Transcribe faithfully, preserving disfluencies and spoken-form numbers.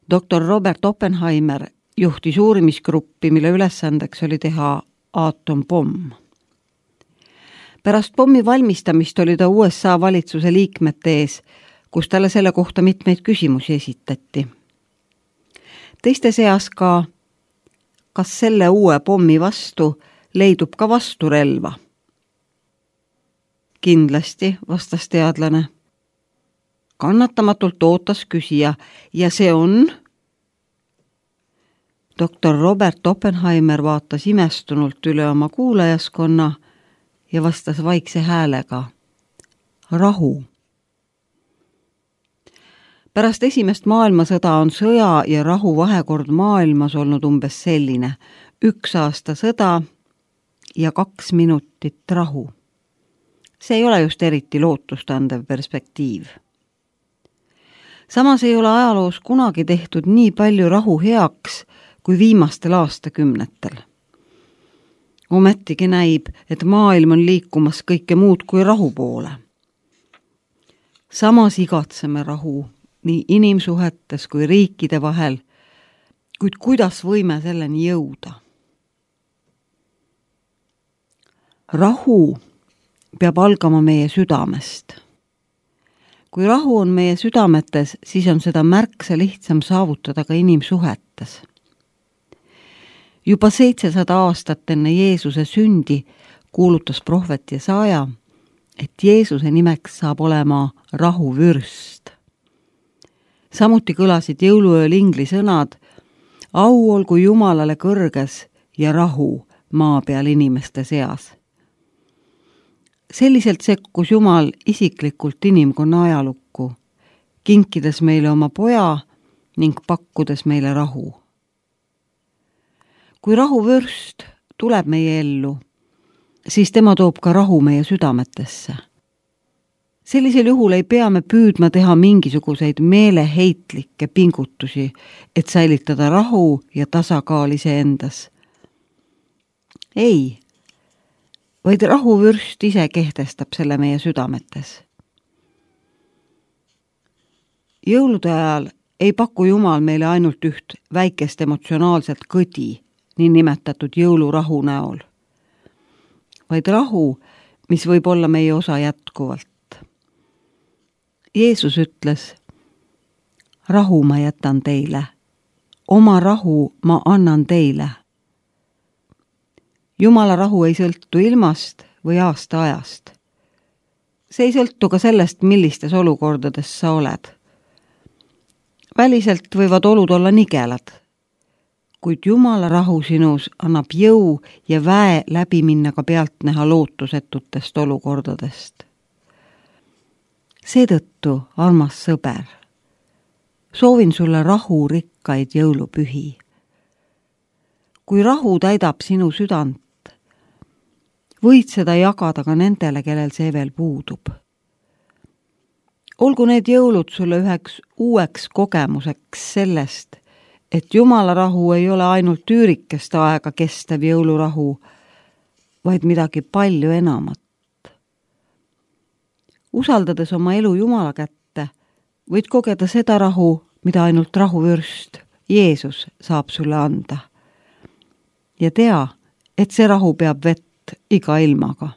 doktor Robert Oppenheimer juhtis uurimisgruppi, mille ülesandeks oli teha aatompomm. Pärast pommi valmistamist oli ta U S A valitsuse liikmete ees, kus talle selle kohta mitmeid küsimusi esitati. Teiste seas ka, kas selle uue pommi vastu leidub ka vasturelva? Kindlasti, vastas teadlane. Kannatamatult ootas küsija ja see on... doktor Robert Oppenheimer vaatas imestunult üle oma kuulajaskonna ja vastas vaikse häälega. Rahu. Pärast esimest maailmasõda on sõja ja rahu vahekord maailmas olnud umbes selline. Üks aasta sõda ja kaks minutit rahu. See ei ole just eriti lootustandev perspektiiv. Samas ei ole ajaloos kunagi tehtud nii palju rahu heaks kui viimastel aastakümnetel. Ometigi näib, et maailm on liikumas kõike muud kui rahu poole. Samas igatseme rahu nii inimsuhetes kui riikide vahel, kuid kuidas võime selleni jõuda? Rahu peab algama meie südamest. Kui rahu on meie südametes, siis on seda märksa lihtsam saavutada ka inimsuhetes. Juba seitsesada aastat enne Jeesuse sündi kuulutas prohvet Jesaja, et Jeesuse nimeks saab olema rahuvürst. Samuti kõlasid jõuluööl ingli sõnad, au olgu Jumalale kõrges ja rahu maa peal inimeste seas. Selliselt sekkus Jumal isiklikult inimkonna ajalukku, kinkides meile oma poja ning pakkudes meile rahu. Kui rahuvürst tuleb meie ellu, siis tema toob ka rahu meie südametesse. Sellisel juhul ei pea me püüdma teha mingisuguseid meeleheitlikke pingutusi, et säilitada rahu ja tasakaal iseendas. Ei, vaid rahuvürst ise kehtestab selle meie südametes. Jõulude ajal ei paku Jumal meile ainult üht väikest emotsionaalset kõdi, nii nimetatud jõulurahu näol, vaid rahu, mis võib olla meie osa jätkuvalt. Jeesus ütles, rahu ma jätan teile, oma rahu ma annan teile. Jumala rahu ei sõltu ilmast või aasta ajast. See ei sõltu ka sellest, millistes olukordades sa oled. Väliselt võivad olud olla nigelad, kuid Jumala rahu sinus annab jõu ja väe läbi minna ka pealtnäha lootusetutest olukordadest. Seetõttu, armas sõber, soovin sulle rahu rikkaid jõulupühi. Kui rahu täidab sinu südant, võid seda jagada ka nendele, kellel see veel puudub. Olgu need jõulud sulle üheks uueks kogemuseks sellest, et Jumala rahu ei ole ainult üürikest aega kestev jõulurahu, vaid midagi palju enamat. Usaldades oma elu Jumala kätte, võid kogeda seda rahu, mida ainult rahuvürst Jeesus saab sulle anda. Ja tea, et see rahu peab vett iga ilmaga.